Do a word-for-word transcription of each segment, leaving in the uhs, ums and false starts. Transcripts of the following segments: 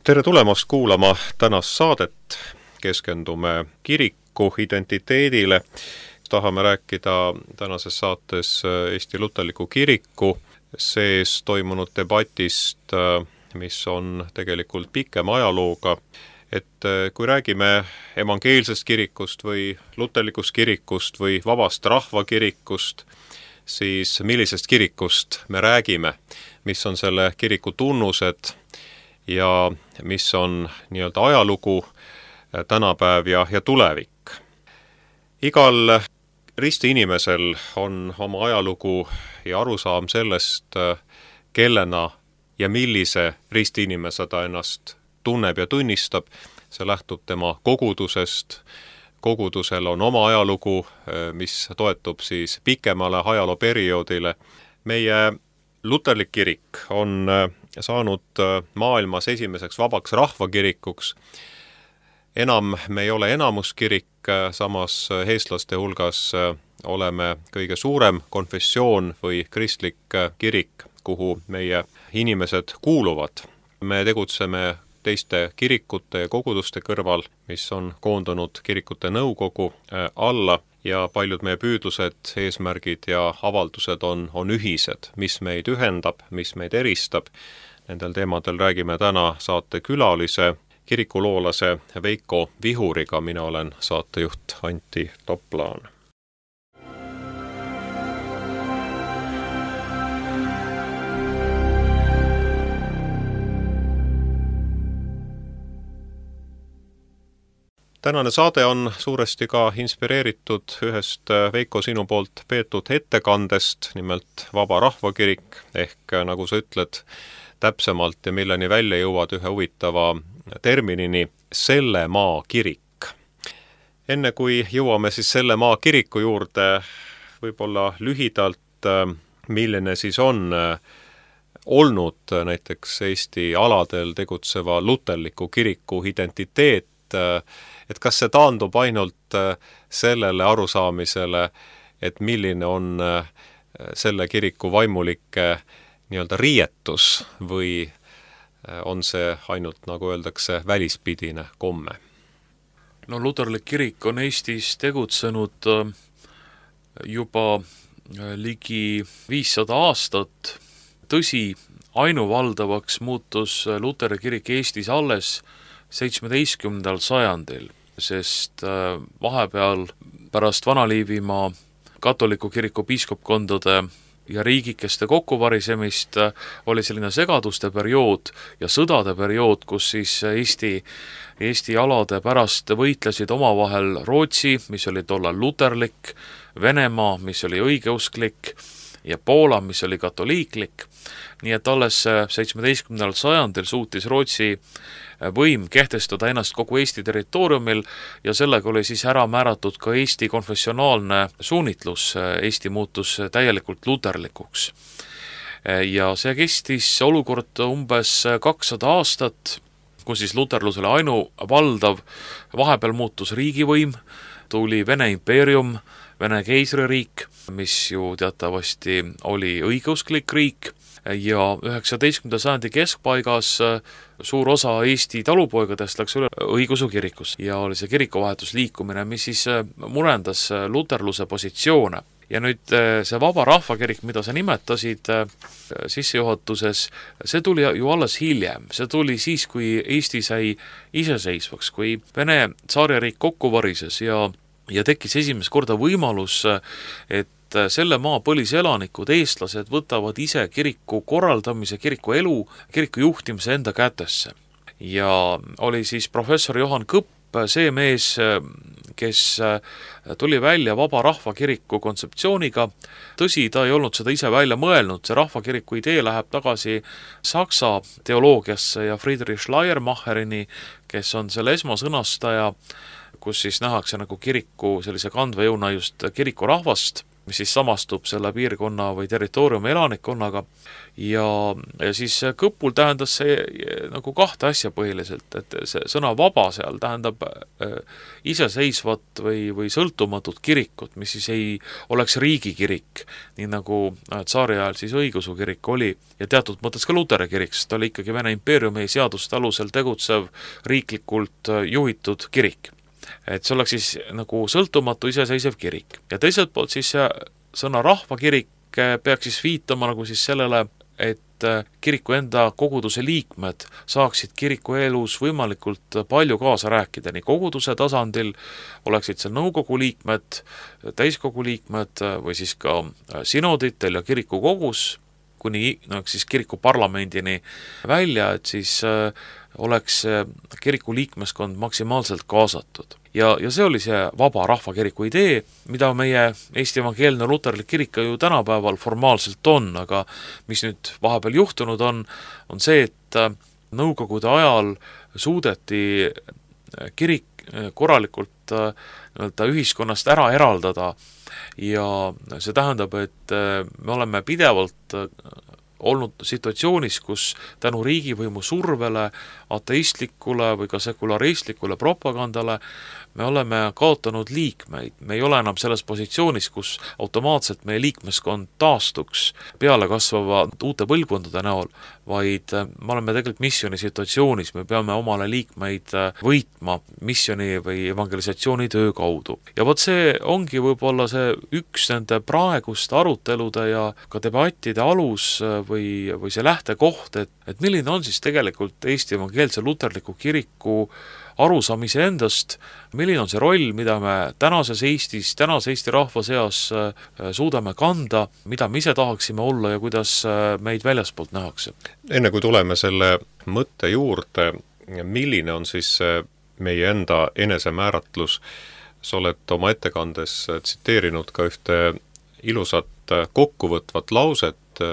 Tere tulemast kuulama tänast saadet. Keskendume kiriku identiteedile. Tahame rääkida tänases saates Eesti Luterliku Kiriku sees toimunud debatist, mis on tegelikult pikem ajalooga. Et kui räägime evangeelsest kirikust või luterlikust kirikust või vabast rahvakirikust, siis millisest kirikust me räägime, mis on selle kiriku tunnused ja mis on nii-öelda ajalugu, tänapäev ja, ja tulevik. Igal risti inimesel on oma ajalugu ja arusaam sellest, kellena ja millise risti inimese ta ennast tunneb ja tunnistab. See lähtub tema kogudusest. Kogudusel on oma ajalugu, mis toetub siis pikemale ajalooperioodile. Meie luterlik kirik on saanud maailmas esimeseks vabaks rahvakirikuks. Enam me ei ole enamuskirik, samas eestlaste hulgas oleme kõige suurem konfessioon või kristlik kirik, kuhu meie inimesed kuuluvad. Me tegutseme teiste kirikute ja koguduste kõrval, mis on koondunud kirikute nõukogu alla ja paljud meie püüdlused, eesmärgid ja avaldused on, on ühised, mis meid ühendab, mis meid eristab. Nendel teemadel räägime täna saate külalise, kirikuloolase Veiko Vihuriga. Mina olen saatejuht Antti Toplaan. Tänane saade on suuresti ka inspireeritud ühest Veiko sinu poolt peetud ettekandest, nimelt Vaba Rahvakirik, ehk nagu sa ütled täpsemalt ja milleni välja jõuad ühe huvitava terminini, selle maa kirik. Enne kui jõuame siis selle maa kiriku juurde, võib-olla lühidalt, milline siis on olnud näiteks Eesti aladel tegutseva luterliku kiriku identiteet, et kas see taandub ainult sellele arusaamisele, et milline on selle kiriku vaimulike nii-öelda riietus või on see ainult, nagu öeldakse, välispidine komme? No luterlik kirik on Eestis tegutsenud juba ligi viissada aastat. Tõsi, ainuvaldavaks muutus luteri kirik Eestis alles seitsmeteistkümnendal sajandil, sest vahepeal pärast Vana-Liivimaa katoliku kiriku piiskopkondade ja riigikeste kokkuvarisemist oli selline segaduste periood ja sõdade periood, kus siis Eesti, Eesti alade pärast võitlesid omavahel Rootsi, mis oli tollal luterlik, Venemaa, mis oli õigeusklik ja Poola, mis oli katoliiklik. Nii et alles seitsmeteistkümnendal sajandil suutis Rootsi võim kehtestada ennast kogu Eesti territooriumil ja sellega oli siis ära määratud ka Eesti konfessionaalne suunitlus. Eesti muutus täielikult luterlikuks. Ja see kestis olukord umbes kakssada aastat, kus siis luterlusele ainuvaldav, vahepeal muutus riigivõim, tuli Vene impeerium, Vene keisririik, mis ju teatavasti oli õigeusklik riik, ja üheksateistkümnenda sajandi keskpaigas suur osa Eesti talupoigadest läks üle õigeusu kirikus ja oli see kirikuvahetusliikumine, mis siis murendas luterluse positsioone. Ja nüüd see Vaba Rahvakirik, mida sa nimetasid sissejuhatuses, see tuli ju alles hiljem. See tuli siis, kui Eesti sai iseseisvaks, kui Vene tsaaririik kokku varises ja, ja tekkis esimest korda võimalus, et selle maa põliselanikud, eestlased võtavad ise kiriku korraldamise, kiriku elu, kiriku juhtimise enda kätesse. Ja oli siis professor Johan Kõpp, see mees, kes tuli välja Vaba Rahvakiriku kontseptsiooniga. Tõsi, ta ei olnud seda ise välja mõelnud, see rahvakiriku idee läheb tagasi Saksa teoloogiasse ja Friedrich Schleiermacherini, kes on selle esmasõnastaja, kus siis nähakse nagu kiriku sellise kandva jõuna just kiriku rahvast. mis siis samastub selle piirkonna või territooriumi elanikkonnaga, ja, ja siis kõpul tähendas see nagu kahte asja põhiliselt, et see sõna vaba seal tähendab äh, iseseisvat või, või sõltumatut kirikut, mis siis ei oleks riigikirik, nii nagu tsaari ajal siis õigeusu kirik oli, ja teatud mõttes ka Luteri kirik, sest ta oli ikkagi Vene impeeriumi seaduste alusel tegutsev riiklikult juhitud kirik. Et see oleks siis nagu sõltumatu iseseisev kirik. Ja teiselt poolt siis see sõna rahvakirik peaks siis viitama nagu siis sellele, et kiriku enda koguduse liikmed saaksid kiriku elus võimalikult palju kaasa rääkida, nii koguduse tasandil oleksid seal nõukogu liikmed, täiskogu liikmed või siis ka sinoditel ja kiriku kogus, kuni no, siis kiriku parlamendini välja, et siis äh, oleks kiriku liikmeskond maksimaalselt kaasatud. Ja, ja see oli see vaba rahvakiriku idee, mida meie Eesti evangeelne luterlik kirik ju tänapäeval formaalselt on, aga mis nüüd vahepeal juhtunud on, on see, et nõukogude ajal suudeti kirik korralikult nii-öelda ühiskonnast ära eraldada ja see tähendab, et me oleme pidevalt olnud situatsioonis, kus tänu riigivõimu survele, ateistlikule või ka sekularistlikule propagandale me oleme kaotanud liikmeid. Me ei ole enam selles positsioonis, kus automaatselt meie liikmeskond taastuks peale kasvava uute põlvkondade näol, vaid me oleme tegelikult missiooni situatsioonis, me peame omale liikmeid võitma missiooni või evangelisatsiooni töö kaudu. Ja vot see ongi võib-olla see üks nende praeguste arutelude ja ka debattide alus või, või see lähtekoht, et, et milline on siis tegelikult Eesti evangeelse luterliku kiriku arusaamise endast, milline on see roll, mida me tänases Eestis, tänase Eesti rahva seas suudame kanda, mida me ise tahaksime olla ja kuidas meid väljaspoolt nähakse. Enne kui tuleme selle mõtte juurde, milline on siis meie enda enesemääratlus, sa oled oma ettekandes tsiteerinud ka ühte ilusat kokkuvõtvat lauset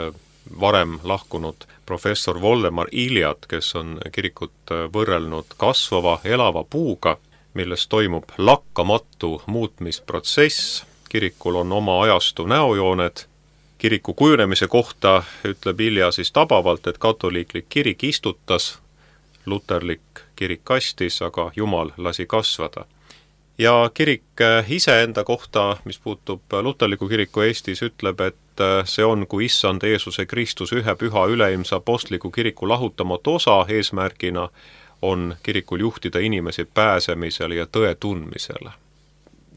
varem lahkunud professor Voldemar Iljat, kes on kirikut võrrelnud kasvava, elava puuga, milles toimub lakkamatu muutmisprotsess. Kirikul on oma ajastu näojooned. Kiriku kujunemise kohta ütleb Ilja siis tabavalt, et katoliiklik kirik istutas, luterlik kirik kastis, aga Jumal lasi kasvada. Ja kirik iseenda kohta, mis puutub luterliku kiriku Eestis, ütleb, et see on, kui issand Jeesuse Kristus ühe püha üleilmse apostliku kiriku lahutamatu osa eesmärgina on kirikul juhtida inimesi pääsemisele ja tõe tundmisele.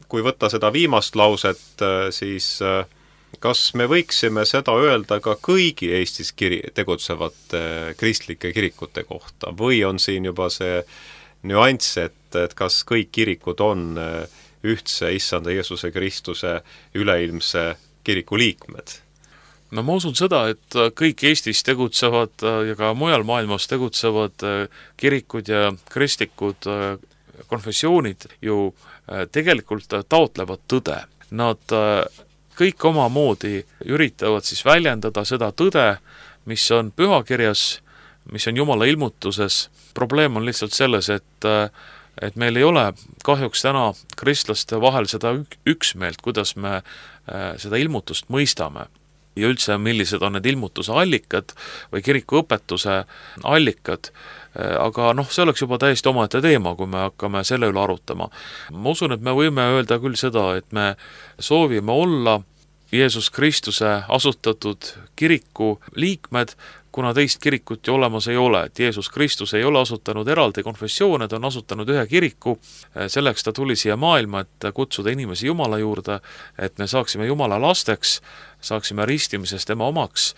Kui võtta seda viimast lauset, siis kas me võiksime seda öelda ka kõigi Eestis kiri- tegutsevate kristlike kirikute kohta või on siin juba see nüanss, et, et kas kõik kirikud on ühtse issanda Jeesuse Kristuse üleilmse kiriku liikmed? No ma usun seda, et kõik Eestis tegutsevad ja ka mujal maailmas tegutsevad kirikud ja kristlikud konfessioonid ju tegelikult taotlevad tõde. Nad kõik omamoodi üritavad siis väljendada seda tõde, mis on pühakirjas, mis on Jumala ilmutuses. Probleem on lihtsalt selles, et et meil ei ole kahjuks täna kristlaste vahel seda üksmeelt, kuidas me seda ilmutust mõistame. Ja üldse, millised on need ilmutuse allikad või kiriku õpetuse allikad, aga noh, see oleks juba täiesti omaette teema, kui me hakkame selle üle arutama. Ma usun, et me võime öelda küll seda, et me soovime olla Jeesus Kristuse asutatud kiriku liikmed, kuna teist kirikut ju olemas ei ole, et Jeesus Kristus ei ole asutanud eraldi konfessioone, ta on asutanud ühe kiriku, selleks ta tuli siia maailma, et kutsuda inimesi Jumala juurde, et me saaksime Jumala lasteks, saaksime ristimises tema omaks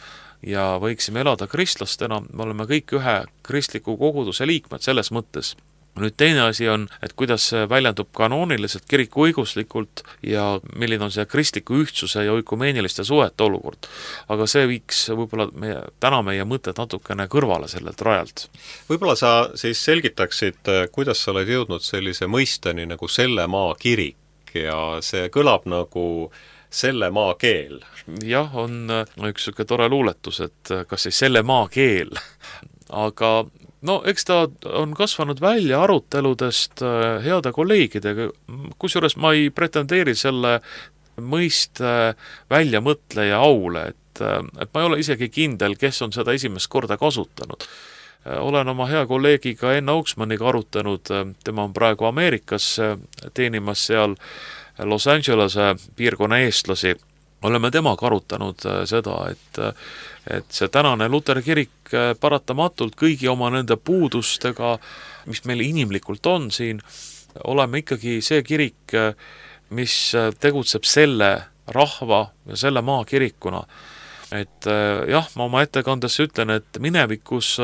ja võiksime elada kristlastena, me oleme kõik ühe kristliku koguduse liikmed selles mõttes. Nüüd teine asi on, et kuidas see väljendub kanooniliselt, kiriku õiguslikult ja milline on see kristliku ühtsuse ja oikumeeniliste suhete olukord. Aga see viiks võib-olla meie, täna meie mõtted natukene kõrvale sellelt rajalt. Võib-olla sa siis selgitaksid, kuidas sa oled jõudnud sellise mõisteni nagu selle maa kirik ja see kõlab nagu selle maa keel. Jah, on üks selline tore luuletus, et kas siis selle maa keel, aga no eks ta on kasvanud välja aruteludest heade kolleegidega, kusjuures ma ei pretendeeri selle mõiste väljamõtleja aule, et, et ma ei ole isegi kindel, kes on seda esimest korda kasutanud. Olen oma hea kolleegiga Enn Auksmanniga arutanud, tema on praegu Ameerikas teenimas seal Los Angelese piirkonna eestlasi. Oleme temaga arutanud seda, et, et see tänane Luteri kirik paratamatult kõigi oma nende puudustega, mis meil inimlikult on siin, oleme ikkagi see kirik, mis tegutseb selle rahva ja selle maa kirikuna. Et jah, ma oma ettekandes ütlen, et minevikus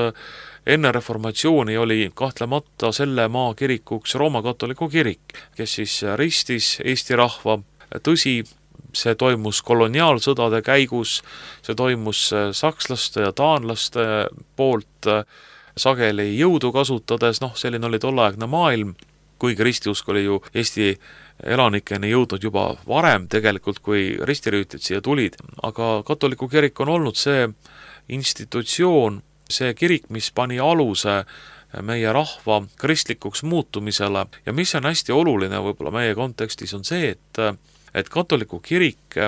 enne reformatsiooni oli kahtlemata selle maa kirikuks Rooma katoliku kirik, kes siis ristis Eesti rahva. Tõsi, see toimus koloniaalsõdade käigus, see toimus sakslaste ja taanlaste poolt sageli jõudu kasutades, noh, selline oli tolleaegne maailm, kuigi ristiusk oli ju Eesti elanikeni jõudnud juba varem tegelikult, kui ristirüütid siia tulid, aga katoliku kirik on olnud see institutsioon, see kirik, mis pani aluse meie rahva kristlikuks muutumisele ja mis on hästi oluline võib-olla meie kontekstis on see, et, et katoliku kirik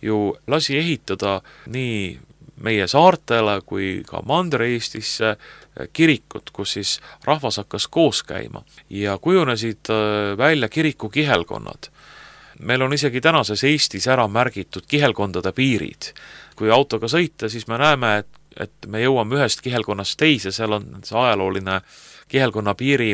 ju lasi ehitada nii meie saartele kui ka Mandri-Eestisse kirikut, kus siis rahvas hakkas koos käima ja kujunesid välja kiriku kihelkonnad. Meil on isegi tänases Eestis ära märgitud kihelkondade piirid. Kui autoga sõita, siis me näeme, et, et me jõuame ühest kihelkonnast teise, seal on see ajalooline kihelkonna piiri,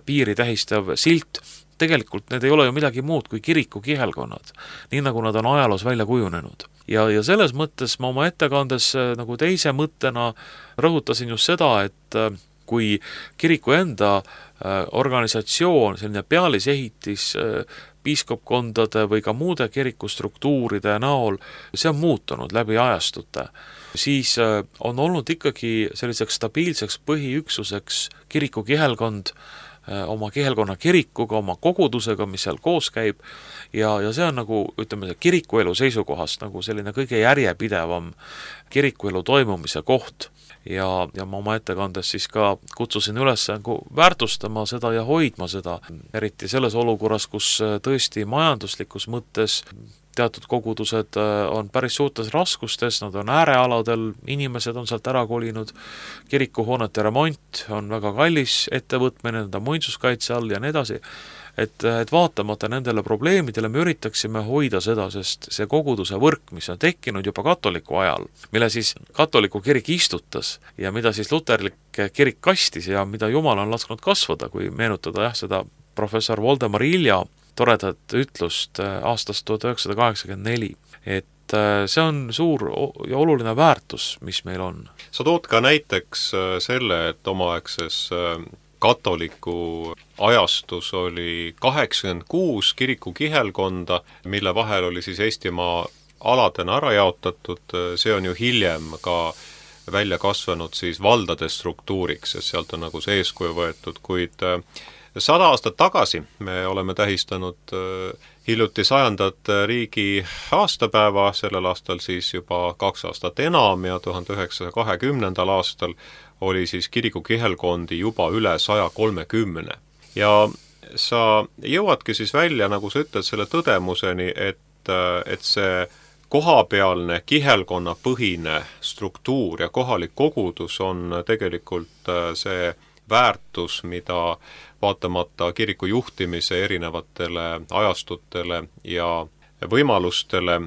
piiri tähistav silt. Tegelikult need ei ole ju midagi muud kui kiriku kihelkonnad, nii nagu nad on ajaloos välja kujunenud. Ja, ja selles mõttes ma oma ettekandes nagu teise mõttena rõhutasin just seda, et kui kiriku enda organisatsioon, selline pealisehitis piiskopkondade või ka muude kirikustruktuuride näol, see on muutunud läbi ajastute, siis on olnud ikkagi selliseks stabiilseks põhiüksuseks kiriku kihelkond, oma kihelkonna kirikuga, oma kogudusega, mis seal koos käib ja, ja see on nagu, ütleme, kirikuelu seisukohast nagu selline kõige järjepidevam kirikuelu toimumise koht ja, ja ma oma ettekandes siis ka kutsusin üles nagu väärtustama seda ja hoidma seda, eriti selles olukorras, kus tõesti majanduslikus mõttes teatud kogudused on päris suurtes raskustes, nad on äärealadel, inimesed on sealt ära kolinud, kirikuhoonete remont on väga kallis ettevõtmine, need on muinsuskaitse all ja nii edasi, et, et vaatamata nendele probleemidele me üritaksime hoida seda, sest see koguduse võrk, mis on tekkinud juba katoliku ajal, mille siis katoliku kirik istutas ja mida siis luterlik kirik kastis ja mida Jumal on lasknud kasvada, kui meenutada jah, seda professor Voldemar Ilja toredat ütlust aastast tuhat üheksasada kaheksakümmend neli, et see on suur ja oluline väärtus, mis meil on. Sa tood ka näiteks selle, et omaaegses katoliku ajastus oli kaheksakümmend kuus kiriku kihelkonda, mille vahel oli siis Eestimaa aladena ära jaotatud, see on ju hiljem ka välja kasvanud siis valdade struktuuriks, sest sealt on nagu see eeskuju võetud, kuid sada aastat tagasi me oleme tähistanud hiljuti sajandat riigi aastapäeva, sellel aastal siis juba kaks aastat enam ja tuhande üheksasaja kahekümnendal aastal oli siis kiriku kihelkondi juba üle saja kolmekümne. Ja sa jõuadki siis välja, nagu sa ütled, selle tõdemuseni, et, et see kohapealne kihelkonna põhine struktuur ja kohalik kogudus on tegelikult see väärtus, mida vaatamata kiriku juhtimise erinevatele ajastutele ja võimalustele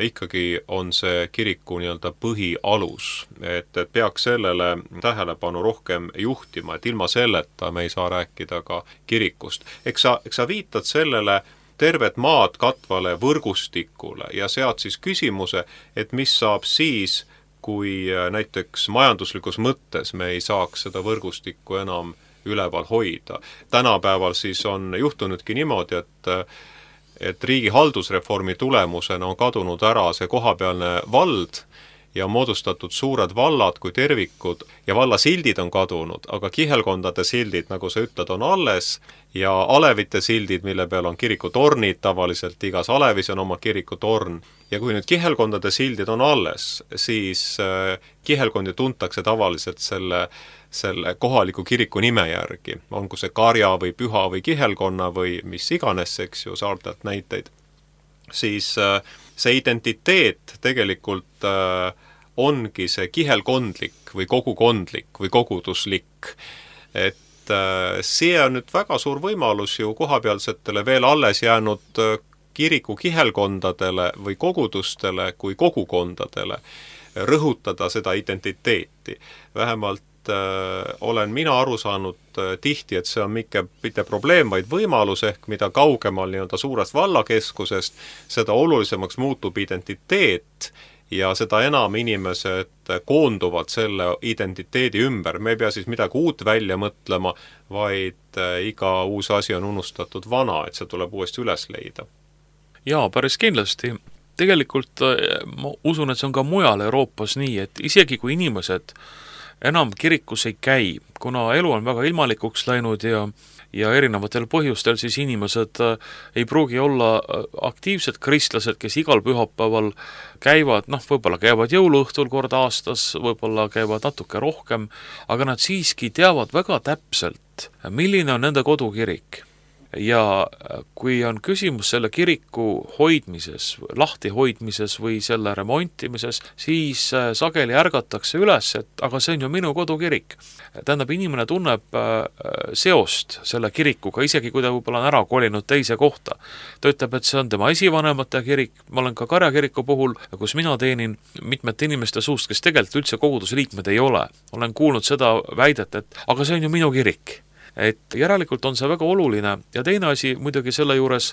ikkagi on see kiriku nii-öelda põhialus, et, et peaks sellele tähelepanu rohkem juhtima, et ilma selleta me ei saa rääkida ka kirikust. Eks sa, eks sa viitad sellele tervet maad katvale võrgustikule ja sead siis küsimuse, et mis saab siis, kui näiteks majanduslikus mõttes me ei saaks seda võrgustikku enam üleval hoida. Tänapäeval siis on juhtunudki niimoodi, et, et riigi haldusreformi tulemusena on kadunud ära see kohapealne vald ja moodustatud suured vallad kui tervikud ja vallasildid on kadunud, aga kihelkondade sildid, nagu sa ütled, on alles ja alevite sildid, mille peal on kirikutornid, tavaliselt igas alevis on oma kirikutorn. Ja kui nüüd kihelkondade sildid on alles, siis kihelkondi tuntakse tavaliselt selle, selle kohaliku kiriku nime järgi. On kui see Karja või Püha või Kihelkonna või mis iganes, eks ju, saartelt näiteid. siis see identiteet tegelikult ongi see kihelkondlik või kogukondlik või koguduslik. Et see on nüüd väga suur võimalus ju kohapealsetele veel alles jäänud kiriku kihelkondadele või kogudustele kui kogukondadele rõhutada seda identiteeti. Vähemalt äh, olen mina aru saanud äh, tihti, et see on mitte, mitte probleem, vaid võimalus, ehk mida kaugemal nii-öelda suurest vallakeskusest, seda olulisemaks muutub identiteet ja seda enam inimesed koonduvad selle identiteedi ümber. Me ei pea siis midagi uut välja mõtlema, vaid iga uus asi on unustatud vana, et see tuleb uuesti üles leida. Jaa, päris kindlasti. Tegelikult ma usun, et see on ka mujal Euroopas nii, et isegi kui inimesed enam kirikus ei käi, kuna elu on väga ilmalikuks läinud ja ja erinevatel põhjustel siis inimesed ei pruugi olla aktiivsed kristlased, kes igal pühapäeval käivad, noh, võib-olla käivad jõuluõhtul kord aastas, võib-olla käivad natuke rohkem, aga nad siiski teavad väga täpselt, milline on nende kodukirik. Ja kui on küsimus selle kiriku hoidmises, lahti hoidmises või selle remontimises, siis sageli ärgatakse üles, et aga see on ju minu kodukirik. Tähendab, inimene tunneb seost selle kirikuga, isegi kui ta võib-olla on ära kolinud teise kohta. Ta ütleb, et see on tema esivanemate kirik, ma olen ka Karjakiriku puhul, kus mina teenin mitmete inimeste suust, kes tegelikult üldse kogudusliikmed ei ole. Olen kuulnud seda väidet, et aga see on ju minu kirik. Et järelikult on see väga oluline ja teine asi muidugi selle juures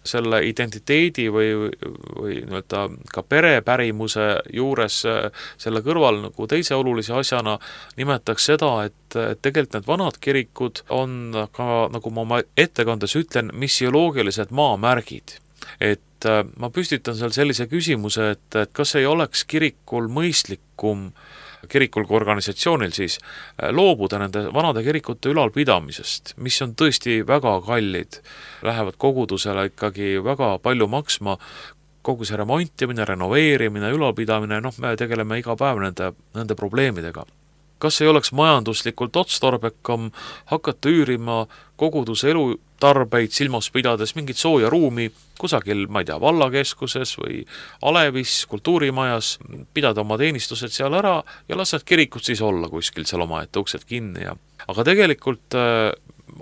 selle identiteedi või, või nii-öelda ka perepärimuse juures selle kõrval nagu teise olulise asjana nimetaks seda, et, et tegelikult need vanad kirikud on ka, nagu ma oma ettekandes ütlen, missioloogilised maamärgid. Et ma püstitan seal sellise küsimuse, et, et kas ei oleks kirikul mõistlikum kirikul kui organisatsioonil siis loobuda nende vanade kirikute ülalpidamisest, mis on tõesti väga kallid, lähevad kogudusele ikkagi väga palju maksma, kogu see remontimine, renoveerimine, ülalpidamine, noh, me tegeleme iga päev nende, nende probleemidega. Kas ei oleks majanduslikult otstarbekam hakata üürima koguduse elutarbeid silmas pidades mingit sooja ruumi kusagil, ma ei tea, vallakeskuses või Alevis, kultuurimajas, pidada oma teenistused seal ära ja las need kirikud siis olla kuskil seal omaette uksed kinni. Ja. Aga tegelikult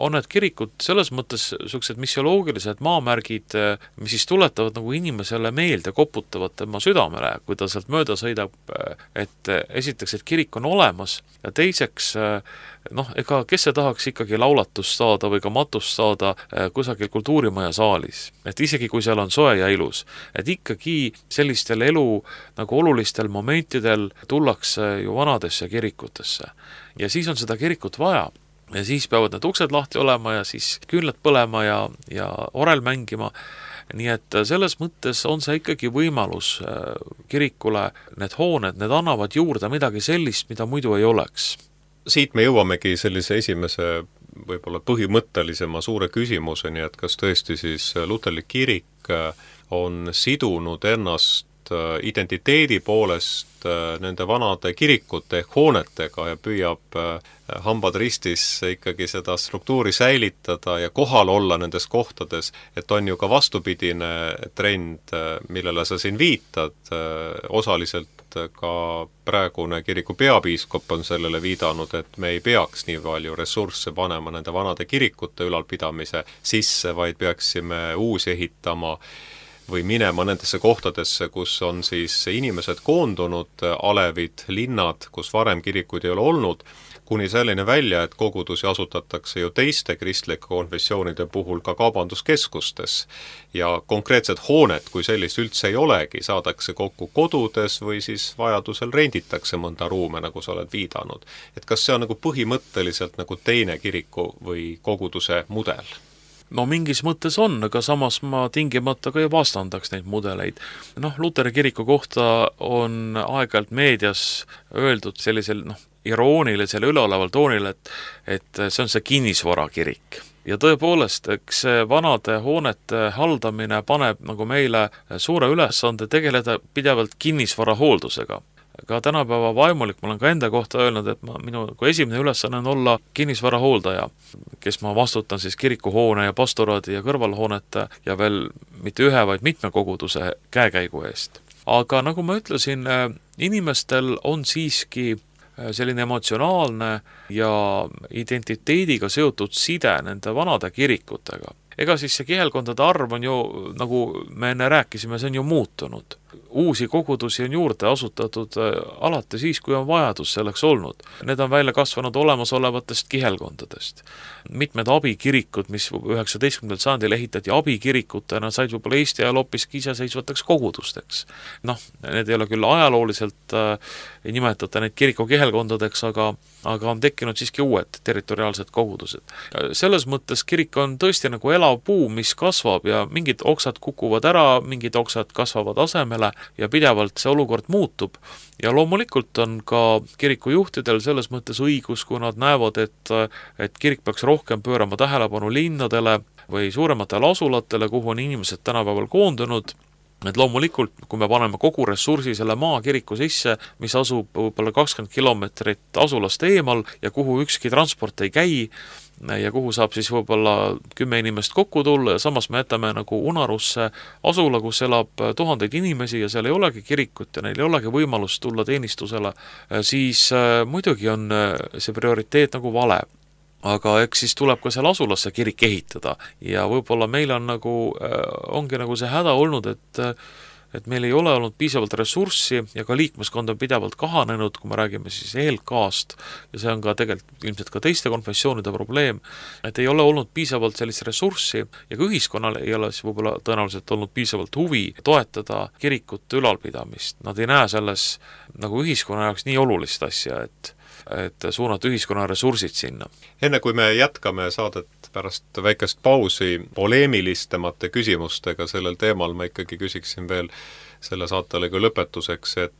on need kirikud selles mõttes sellised missioloogilised maamärgid, mis siis tuletavad nagu inimesele meelde, koputavad tema südamele, kui ta sealt mööda sõidab, et esiteks, et kirik on olemas ja teiseks, noh, ega kes see tahaks ikkagi laulatust saada või ka matust saada kusagil kultuurimaja saalis. Et isegi kui seal on soe ja ilus, et ikkagi sellistel elu nagu olulistel momentidel tullakse ju vanadesse kirikutesse ja siis on seda kirikut vaja. Ja siis peavad need uksed lahti olema ja siis küünlad põlema ja, ja orel mängima. Nii et selles mõttes on see ikkagi võimalus kirikule, need hooned, need annavad juurde midagi sellist, mida muidu ei oleks. Siit me jõuamegi sellise esimese võib-olla põhimõttelisema suure küsimuseni, et kas tõesti siis luterlik kirik on sidunud ennast identiteedi poolest nende vanade kirikute ehk hoonetega ja püüab hambad ristis ikkagi seda struktuuri säilitada ja kohal olla nendes kohtades, et on ju ka vastupidine trend, millele sa siin viitad, osaliselt ka praegune kiriku peapiiskop on sellele viidanud, et me ei peaks nii palju ressursse panema nende vanade kirikute ülalpidamise sisse, vaid peaksime uusi ehitama või minema nendesse kohtadesse, kus on siis inimesed koondunud, alevid, linnad, kus varem kirikuid ei ole olnud, kuni selline välja, et kogudusi asutatakse ju teiste kristlike konfessioonide puhul ka kaubanduskeskustes ja konkreetsed hooned, kui sellist üldse ei olegi, saadakse kokku kodudes või siis vajadusel renditakse mõnda ruume, nagu sa oled viidanud. Et kas see on nagu põhimõtteliselt nagu teine kiriku või koguduse mudel? No mingis mõttes on, aga samas ma tingimata ka ei vastandaks neid mudeleid. Noh, Luteri kiriku kohta on aeg-ajalt meedias öeldud sellisel noh, iroonilisel üleoleval toonil, et, et see on see kinnisvarakirik. Ja tõepoolest, eks vanade hoonete haldamine paneb nagu meile suure ülesande tegeleda pidevalt kinnisvara hooldusega. Ka tänapäeva vaimulik, ma olen ka enda kohta öelnud, et ma, minu esimene ülesanne on olla kinnisvara hooldaja, kes ma vastutan siis kirikuhoone ja pastoraadi ja kõrvalhoonete ja veel mitte ühe, vaid mitme koguduse käekäigu eest. Aga nagu ma ütlesin, inimestel on siiski selline emotsionaalne ja identiteediga seotud side nende vanade kirikutega. Ega siis see kihelkondade arv on ju, nagu me enne rääkisime, see on ju muutunud. Uusi kogudusi on juurde asutatud alati siis, kui on vajadus selleks olnud. Need on välja kasvanud olemasolevatest kihelkondadest. Mitmed abikirikud, mis üheksateistkümnendal sajandil ehitati abikirikutena, said võib-olla Eesti ajal hoopiski iseseisvateks kogudusteks. Noh, need ei ole küll ajalooliselt, ei nimetata neid kiriku kihelkondadeks, aga, aga on tekkinud siiski uued territoriaalsed kogudused. Selles mõttes kirik on tõesti nagu elav puu, mis kasvab ja mingid oksad kukuvad ära, mingid oksad kasvavad asemele ja pidevalt see olukord muutub. Ja loomulikult on ka kirikujuhtidel selles mõttes õigus, kui nad näevad, et, et kirik peaks rohkem pöörama tähelepanu linnadele või suurematele asulatele, kuhu on inimesed tänapäeval koondunud. Et loomulikult, kui me paneme kogu ressursi selle maakiriku sisse, mis asub võib-olla kakskümmend kilomeetrit asulast eemal ja kuhu ükski transport ei käi, ja kuhu saab siis võib-olla kümme inimest kokku tulla ja samas me jätame nagu unarusse asula, kus elab tuhandeid inimesi ja seal ei olegi kirikut ja neil ei olegi võimalust tulla teenistusele, siis muidugi on see prioriteet nagu vale. Aga eks siis tuleb ka seal asulasse kirik ehitada ja võib-olla meil on nagu, ongi nagu see häda olnud, et et meil ei ole olnud piisavalt ressurssi ja ka liikmeskond on pidevalt kahanenud, kui me räägime siis E L K-st ja see on ka tegelikult ilmselt ka teiste konfessioonide probleem, et ei ole olnud piisavalt sellist ressurssi ja ka ühiskonnal ei ole siis võib-olla tõenäoliselt olnud piisavalt huvi toetada kirikute ülalpidamist. Nad ei näe selles nagu ühiskonna jaoks nii olulist asja, et et suunata ühiskonna ressursid sinna. Enne kui me jätkame saadet pärast väikest pausi poleemilistemate küsimustega sellel teemal, ma ikkagi küsiksin veel selle saatelega lõpetuseks, et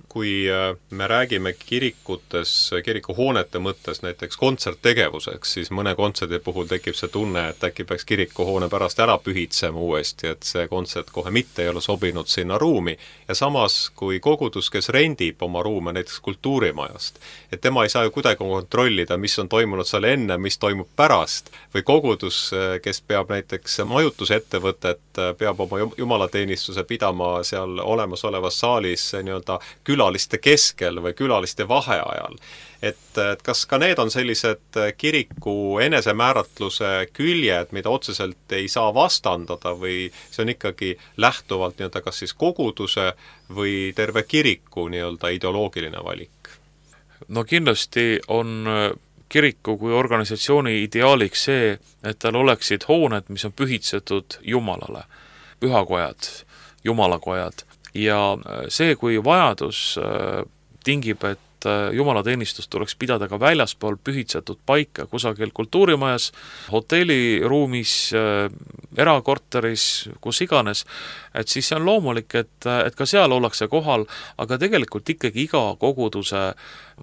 kui me räägime kirikutes, kirikuhoonete mõttes näiteks kontserttegevuseks, siis mõne kontserdi puhul tekib see tunne, et äkki peaks kirikuhoone pärast ära pühitsema uuesti, et see kontsert kohe mitte ei ole sobinud sinna ruumi. Ja samas, kui kogudus, kes rendib oma ruume näiteks kultuurimajast, et tema ei saa ju kuidagi kontrollida, mis on toimunud seal enne, mis toimub pärast, või kogudus, kes peab näiteks majutusettevõtet, peab oma jumalateenistuse pidama seal olemasolevas saalis nii-öelda külaliste keskel või külaliste vaheajal. Et, et kas ka need on sellised kiriku enesemääratluse küljed, mida otseselt ei saa vastandada või see on ikkagi lähtuvalt nii-öelda kas siis koguduse või terve kiriku nii-öelda ideoloogiline valik? No kindlasti on kiriku kui organisatsiooni ideaaliks see, et tal oleksid hooned, mis on pühitsetud Jumalale, pühakojad, jumalakojad. Ja see, kui vajadus tingib, et jumalateenistust tuleks pidada ka väljaspool pühitsetud paika kusagil kultuurimajas, hotelliruumis, erakorteris, kus iganes, et siis see on loomulik, et, et ka seal ollakse kohal, aga tegelikult ikkagi iga koguduse,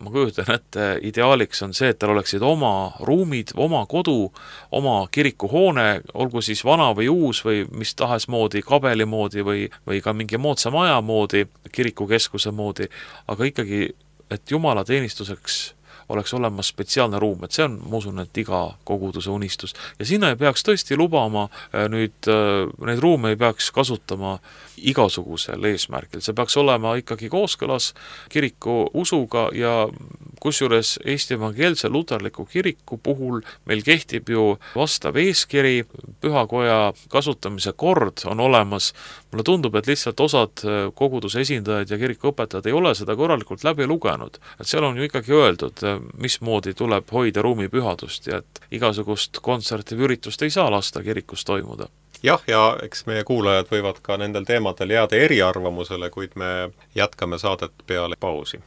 ma kujutan ette, ideaaliks on see, et tal oleksid oma ruumid, oma kodu, oma kirikuhoone, olgu siis vana või uus või mis tahes moodi, kabeli moodi või, või ka mingi moodsa maja moodi, kirikukeskuse moodi, aga ikkagi et Jumala teenistuseks oleks olemas spetsiaalne ruum, et see on, ma usun, et iga koguduse unistus. Ja sinna ei peaks tõesti lubama, nüüd neid ruume ei peaks kasutama igasugusel eesmärgil. See peaks olema ikkagi kooskõlas kiriku usuga ja kusjuures Eesti evangeelse luterliku kiriku puhul meil kehtib ju vastav eeskiri, pühakoja kasutamise kord on olemas. Mulle tundub, et lihtsalt osad koguduse esindajad ja kirikuõpetajad ei ole seda korralikult läbi lugenud. Et seal on ju ikkagi öeldud, mismoodi tuleb hoida ruumi pühadust ja et igasugust kontserti või üritust ei saa lasta kirikus toimuda. Jah, ja eks meie kuulajad võivad ka nendel teemadel jääda eriarvamusele, kuid me jätkame saadet peale pausi.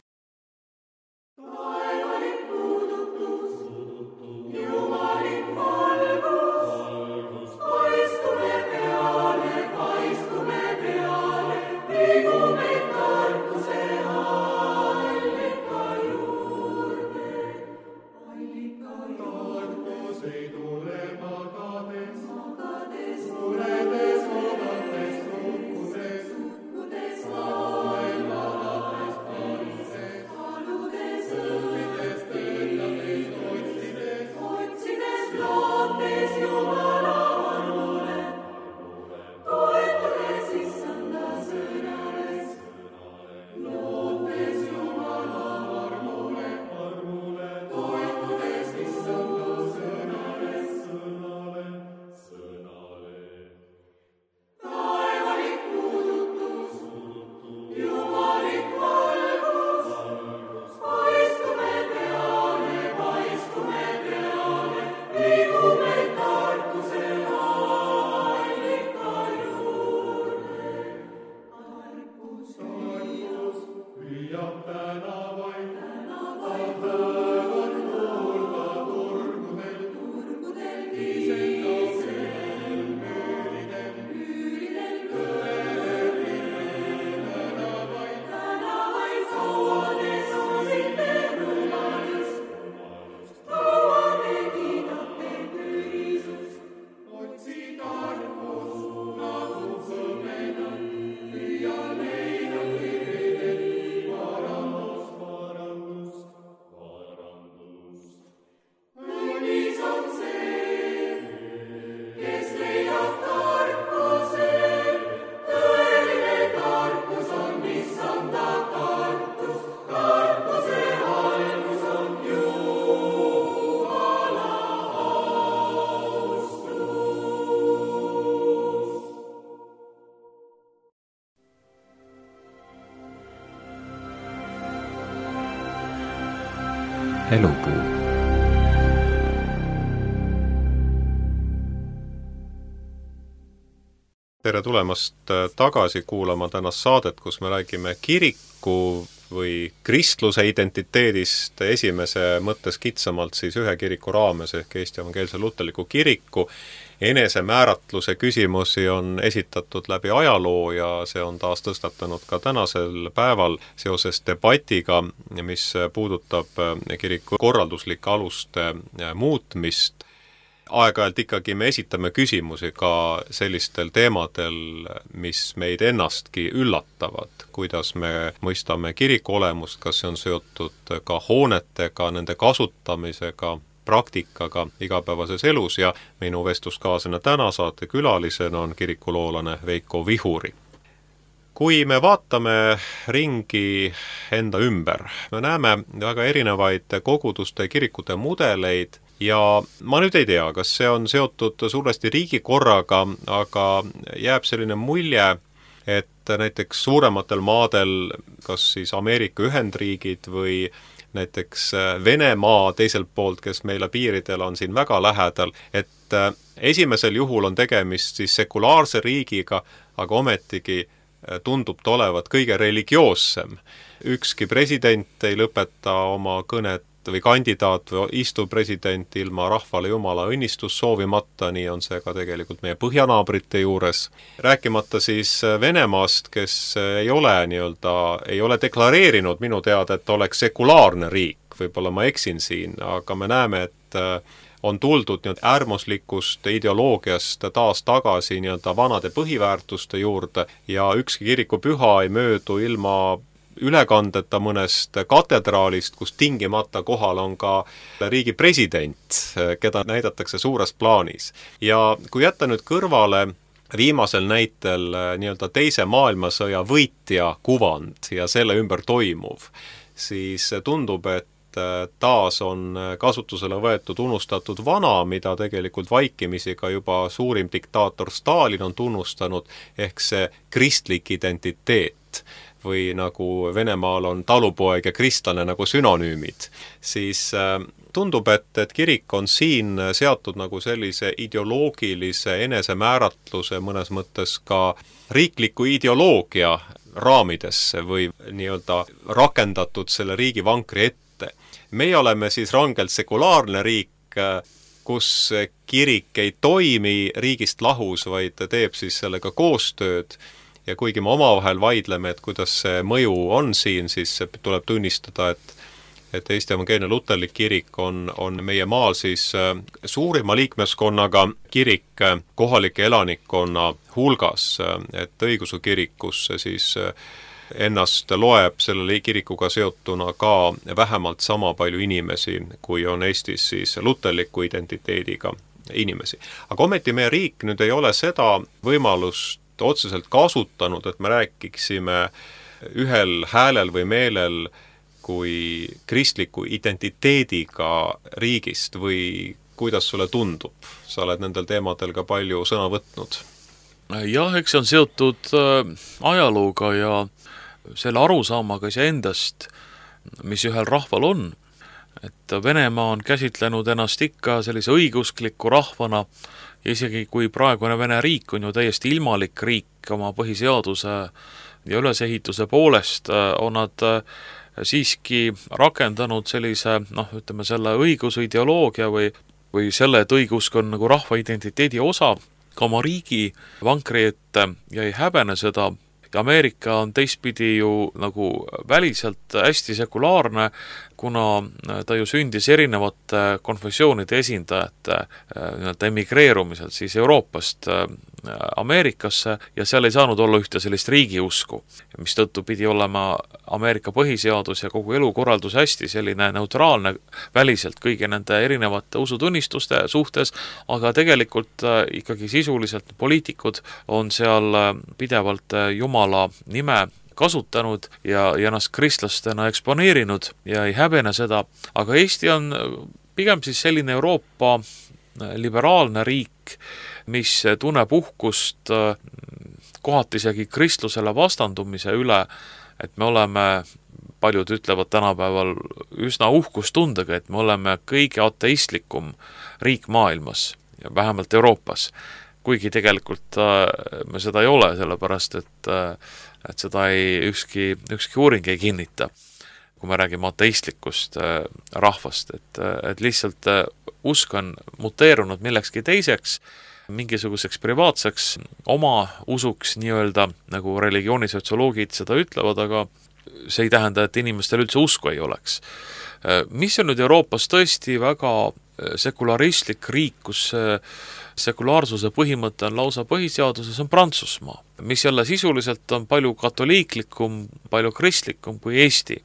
Elupuu. Tere tulemast tagasi kuulama tänast saadet, kus me räägime kiriku või kristluse identiteedist esimese mõttes kitsamalt siis ühe kiriku raames ehk Eesti Evangeelse Luterliku Kiriku. Enesemääratluse küsimusi on esitatud läbi ajaloo ja see on taas tõstatanud ka tänasel päeval seoses debatiga, mis puudutab kiriku korralduslike aluste muutmist. Aeg-ajalt ikkagi me esitame küsimusi ka sellistel teemadel, mis meid ennastki üllatavad, kuidas me mõistame kiriku olemust, kas see on seotud ka hoonetega, nende kasutamisega, praktikaga igapäevases elus ja minu vestluskaaslane täna saate külalisena on kirikuloolane Veiko Vihuri. Kui me vaatame ringi enda ümber, me näeme väga erinevaid koguduste kirikute mudeleid ja ma nüüd ei tea, kas see on seotud suuresti riigikorraga, aga jääb selline mulje, et näiteks suurematel maadel, kas siis Ameerika Ühendriigid või näiteks Venemaa teiselt poolt, kes meile piiridel on siin väga lähedal, et esimesel juhul on tegemist siis sekulaarse riigiga, aga ometigi tundub ta olevat kõige religioossem. Ükski president ei lõpeta oma kõnet või kandidaat või istuv president ilma rahvale Jumala õnnistus soovimata, nii on see ka tegelikult meie põhjanaabrite juures. Rääkimata siis Venemaast, kes ei ole, nii-öelda, ei ole deklareerinud minu teada, et oleks sekulaarne riik, võib-olla ma eksin siin, aga me näeme, et on tuldud nii-öelda äärmuslikust ideoloogiast taas tagasi nii-öelda vanade põhiväärtuste juurde ja ükski kirikupüha ei möödu ilma ülekandeta mõnest katedraalist, kus tingimata kohal on ka riigi president, keda näidatakse suures plaanis. Ja kui jätta nüüd kõrvale viimasel näitel nii-öelda teise maailmasõja võitja kuvand ja selle ümber toimuv, siis tundub, et taas on kasutusele võetud unustatud vana, mida tegelikult vaikimisi ka juba suurim diktaator Stalin on tunnustanud, ehk see kristlik identiteet või nagu Venemaal on talupoeg ja kristlane nagu sünonüümid, siis tundub, et, et kirik on siin seatud nagu sellise ideoloogilise enesemääratluse mõnes mõttes ka riikliku ideoloogia raamidesse või nii-öelda rakendatud selle riigi vankri ette. Meie oleme siis rangelt sekulaarne riik, kus kirik ei toimi riigist lahus, vaid teeb siis sellega koostööd. Ja kuigi me omavahel vaidleme, et kuidas see mõju on siin, siis tuleb tunnistada, et, et Eesti Evangeelne Luterlik Kirik on, on meie maal siis suurima liikmeskonnaga kirik kohalike elanikkonna hulgas, et õigeusu kirikusse siis ennast loeb selle kirikuga seotuna ka vähemalt sama palju inimesi, kui on Eestis siis luterliku identiteediga inimesi. Aga ometi meie riik nüüd ei ole seda võimalust otseselt kasutanud, et me rääkiksime ühel häälel või meelel kui kristliku identiteediga riigist või kuidas sulle tundub? Sa oled nendel teemadel ka palju sõna võtnud. Jah, eks see on seotud ajalooga ja selle arusaamaga iseendast, mis ühel rahval on. Et Venemaa on käsitlenud ennast ikka sellise õiguskliku rahvana ja isegi kui praegune Vene riik on ju täiesti ilmalik riik oma põhiseaduse ja ülesehituse poolest, on nad siiski rakendanud sellise, noh, ütleme selle õiguse ideoloogia või, või selle, et õigusk on nagu rahva identiteedi osa ka oma riigi vankri ette ja ei häbene seda. Ja Ameerika on teistpidi ju nagu väliselt hästi sekulaarne, kuna ta ju sündis erinevate konfessioonide esindajate emigreerumisel siis Euroopast Ameerikasse ja seal ei saanud olla ühte sellist riigiusku, mis tõttu pidi olema Ameerika põhiseadus ja kogu elukorraldus hästi selline neutraalne väliselt kõigi nende erinevate usutunnistuste suhtes, aga tegelikult ikkagi sisuliselt poliitikud on seal pidevalt Jumala nime kasutanud ja, ja ennast kristlastena eksponeerinud ja ei häbene seda, aga Eesti on pigem siis selline Euroopa liberaalne riik, mis tunneb uhkust kohati isegi kristlusele vastandumise üle, et me oleme paljud ütlevad tänapäeval üsna uhkustundega, et me oleme kõige ateistlikum riik maailmas, vähemalt Euroopas, kuigi tegelikult me seda ei ole, sellepärast et, et seda ei, ükski, ükski uuring ei kinnita, kui me räägime ateistlikust rahvast, et, et lihtsalt usk on muteerunud millekski teiseks, mingisuguseks privaatseks oma usuks nii-öelda, nagu religioonisotsioloogid seda ütlevad, aga see ei tähenda, et inimestel üldse usku ei oleks. Mis on nüüd Euroopas tõesti väga sekularistlik riik, kus sekulaarsuse põhimõte on lausa põhiseaduses, on Prantsusmaa, mis jälle sisuliselt on palju katoliiklikum, palju kristlikum kui Eesti.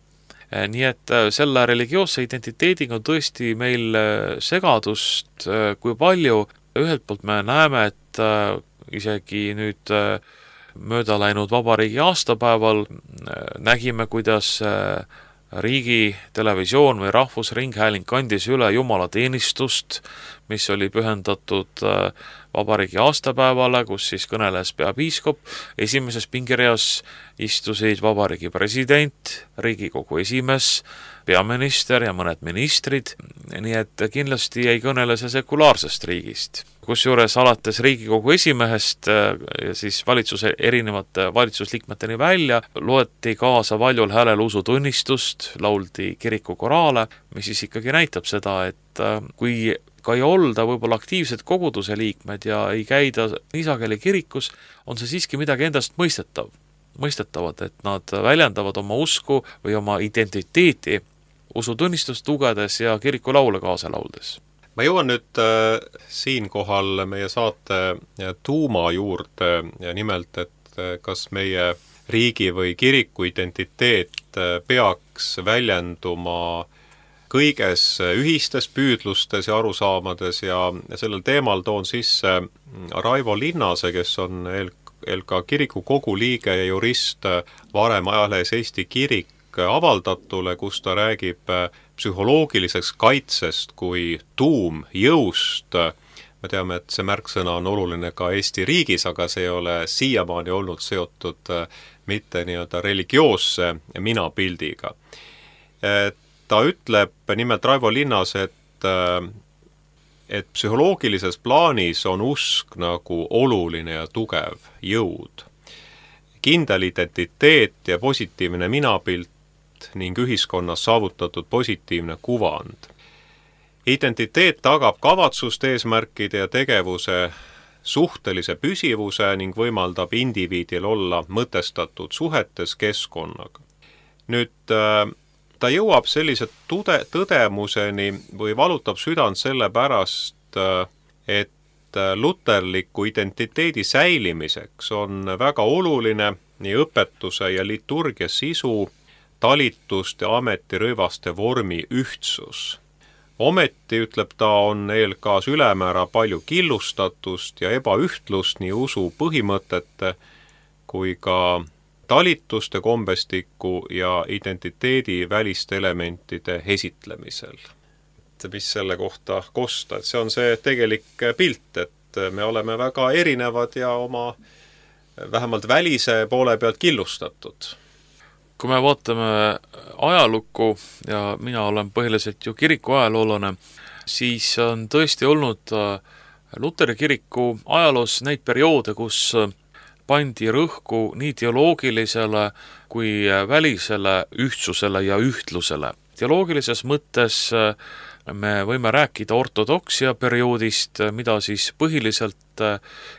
Nii et selle religioosse identiteediga on tõesti meil segadust kui palju. Ühelt poolt me näeme, et isegi nüüd mööda läinud vabariigi aastapäeval nägime, kuidas riigi televisioon või rahvusringhääling kandis üle jumalateenistust, mis oli pühendatud vabariigi aastapäevale, kus siis kõneles peapiiskop, esimeses pingireas istusid vabariigi president, Riigikogu esimees, peaminister ja mõned ministrid, nii et kindlasti ei kõnele see sekulaarsest riigist. Kusjuures alates Riigikogu esimehest ja siis valitsuse erinevate valitsusliikmeteni välja loeti kaasa valjul häälel usutunnistust, lauldi kirikukoraale, mis siis ikkagi näitab seda, et kui ka ei olda võib-olla aktiivsed koguduse liikmed ja ei käida niisageli kirikus, on see siiski midagi endast mõistetav. mõistetavad, et nad väljendavad oma usku või oma identiteeti usutunnistust lugedes ja kirikulaule kaasa lauldes. Ma jõuan nüüd äh, siinkohal meie saate tuuma juurde ja nimelt, et äh, kas meie riigi või kiriku identiteet äh, peaks väljenduma kõiges ühistes püüdlustes ja arusaamades ja, ja sellel teemal toon sisse Raivo Linnase, kes on eel, eel ka kiriku kogu liige ja jurist varem ajalehes Eesti Kirik avaldatule, kus ta räägib psühholoogiliseks kaitsest kui tuumjõust. Me teame, et see märksõna on oluline ka Eesti riigis, aga see ei ole siiamaani olnud seotud mitte nii-öelda religioosse minapildiga. Ta ütleb nimelt Raivo Linnas, et, et psühholoogilises plaanis on usk nagu oluline ja tugev jõud. Kindel identiteet ja positiivne minapilt ning ühiskonnas saavutatud positiivne kuvand. Identiteet tagab kavatsust, eesmärkide ja tegevuse suhtelise püsivuse ning võimaldab indiviidil olla mõtestatud suhetes keskkonnaga. Nüüd ta jõuab sellise tude, tõdemuseni või valutab südant selle pärast, et luterliku identiteedi säilimiseks on väga oluline nii õpetuse ja liturgia sisu, talituste ja ametirõivaste vormi ühtsus. Ometi, ütleb ta, on eelkaas ülemäära palju killustatust ja ebaühtlust nii usu põhimõtete kui ka talituste kombestiku ja identiteedi väliste elementide esitlemisel. Mis selle kohta kosta, et see on see tegelik pilt, et me oleme väga erinevad ja oma vähemalt välise poole pealt killustatud. Kui me vaatame ajalukku ja mina olen põhiliselt ju kiriku ajaloolane, siis on tõesti olnud Luteri kiriku ajaloos neid perioode, kus pandi rõhku nii teoloogilisele kui välisele ühtsusele ja ühtlusele. Teoloogilises mõttes me võime rääkida ortodoksia perioodist, mida siis põhiliselt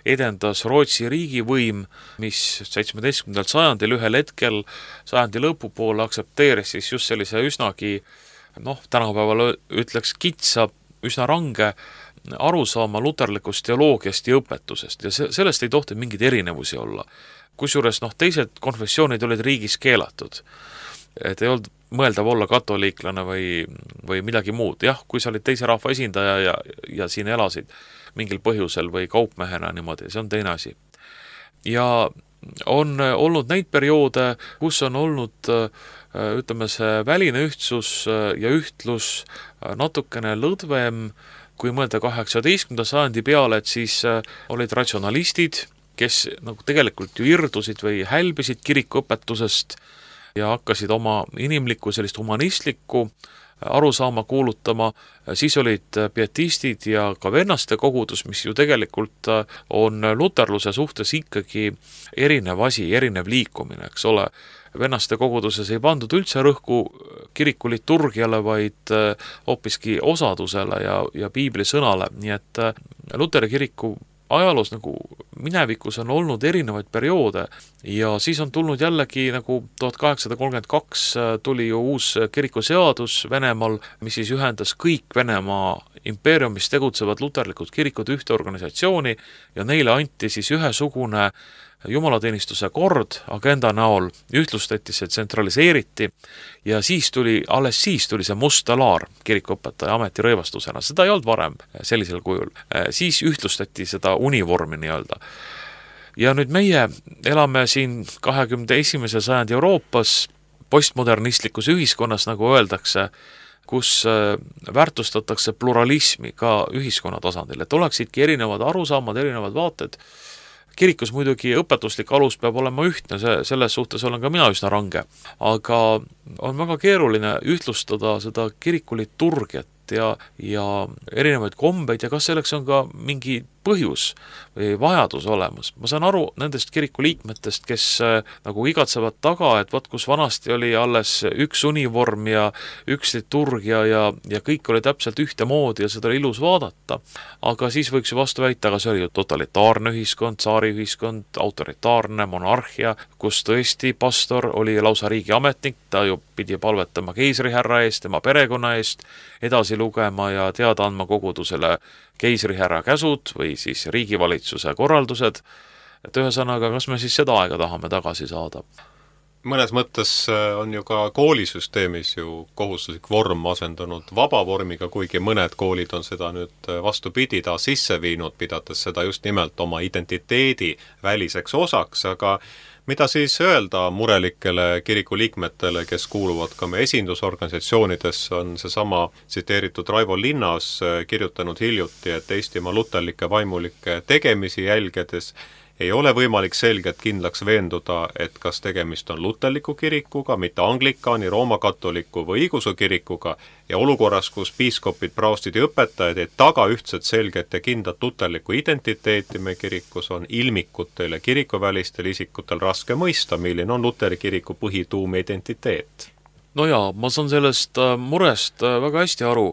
edendas Rootsi riigivõim, mis seitsmeteistkümnendal sajandil ühel hetkel sajandi lõpupoole aksepteeris siis just sellise üsnagi, noh, tänapäeval ütleks kitsa, üsna range arusaama luterlikust teoloogiast ja õpetusest ja sellest ei tohti mingeid erinevusi olla. Kusjuures noh, teised konfessioonid olid riigis keelatud. Et ei olnud mõeldav olla katoliiklane või, või midagi muud. Jah, kui sa olid teise rahva esindaja ja, ja siin elasid mingil põhjusel või kaupmehena niimoodi, see on teine asi. Ja on olnud neid perioode, kus on olnud, ütleme, see väline ühtsus ja ühtlus natukene lõdvem, kui mõelda kaheksateistkümnenda sajandi peale, et siis olid ratsionalistid, kes nagu tegelikult ju irdusid või hälbisid kirikuõpetusest ja hakkasid oma inimlikku sellist humanistlikku arusaama kuulutama, siis olid pietistid ja ka vennaste kogudus, mis ju tegelikult on luterluse suhtes ikkagi erinev asi, erinev liikumine, eks ole. Vennaste koguduses ei pandud üldse rõhku kiriku liturgiale, vaid hoopiski osadusele ja, ja piibli sõnale, nii et Luteri kiriku ajaloos nagu minevikus on olnud erinevaid perioode ja siis on tulnud jällegi nagu tuhat kaheksasada kolmkümmend kaks tuli ju uus kirikuseadus Venemaal, mis siis ühendas kõik Venemaa impeeriumis tegutsevad luterlikud kirikud ühte organisatsiooni ja neile anti siis ühesugune jumalateenistuse kord agenda näol, ühtlustati see, tsentraliseeriti ja siis tuli, alles siis tuli see must laar kirikuõpetaja ametirõivastusena, seda ei olnud varem sellisel kujul, siis ühtlustati seda univormi nii-öelda. Ja nüüd meie elame siin kahekümne esimese sajandi Euroopas postmodernistlikus ühiskonnas, nagu öeldakse, kus väärtustatakse pluralismi ka ühiskonna tasandil, et oleksidki erinevad arusaamad, erinevad vaated. Kirikus muidugi õpetuslik alus peab olema ühtne, see, selles suhtes olen ka mina üsna range, aga on väga keeruline ühtlustada seda kiriku liturgiat ja, ja erinevaid kombeid ja kas selleks on ka mingi põhjus või vajadus olemas. Ma saan aru nendest kiriku liikmetest, kes nagu igatsevad taga, et vaat kus vanasti oli alles üks univorm ja üks liturgia ja, ja kõik oli täpselt ühtemoodi ja seda oli ilus vaadata. Aga siis võiks ju vastu väita, aga see oli ju totalitaarne ühiskond, tsaari ühiskond, autoritaarne monarhia, kus tõesti pastor oli lausa riigi ametnik, ta ju pidi palvetama keisrihärra eest, tema perekonna eest, edasi lugema ja teada andma kogudusele keisrihärra käsud või siis riigivalitsuse korraldused, et ühesõnaga, kas me siis seda aega tahame tagasi saada? Mõnes mõttes on ju ka koolisüsteemis ju kohustuslik vorm asendunud vaba vormiga, kuigi mõned koolid on seda nüüd vastupidi ta sisse viinud, pidades seda just nimelt oma identiteedi väliseks osaks, aga mida siis öelda murelikele kiriku liikmetele, kes kuuluvad ka me esindusorganisatsioonidesse, on seesama tsiteeritud Raivo Linnas kirjutanud hiljuti, et Eestimaa luterlike vaimulike tegemisi jälgedes ei ole võimalik selgelt kindlaks veenduda, et kas tegemist on luterliku kirikuga, mitte anglikaani, roomakatoliku või õigeusu kirikuga ja olukorras, kus piiskopid, praostid ja õpetajad ei taga ühtset selget ja kindlat luterlikku identiteeti me kirikus, on ilmikutel ja kirikuvälistel isikutel raske mõista, milline on Luteri kiriku põhituum identiteet. No jaa, ma saan sellest murest väga hästi aru.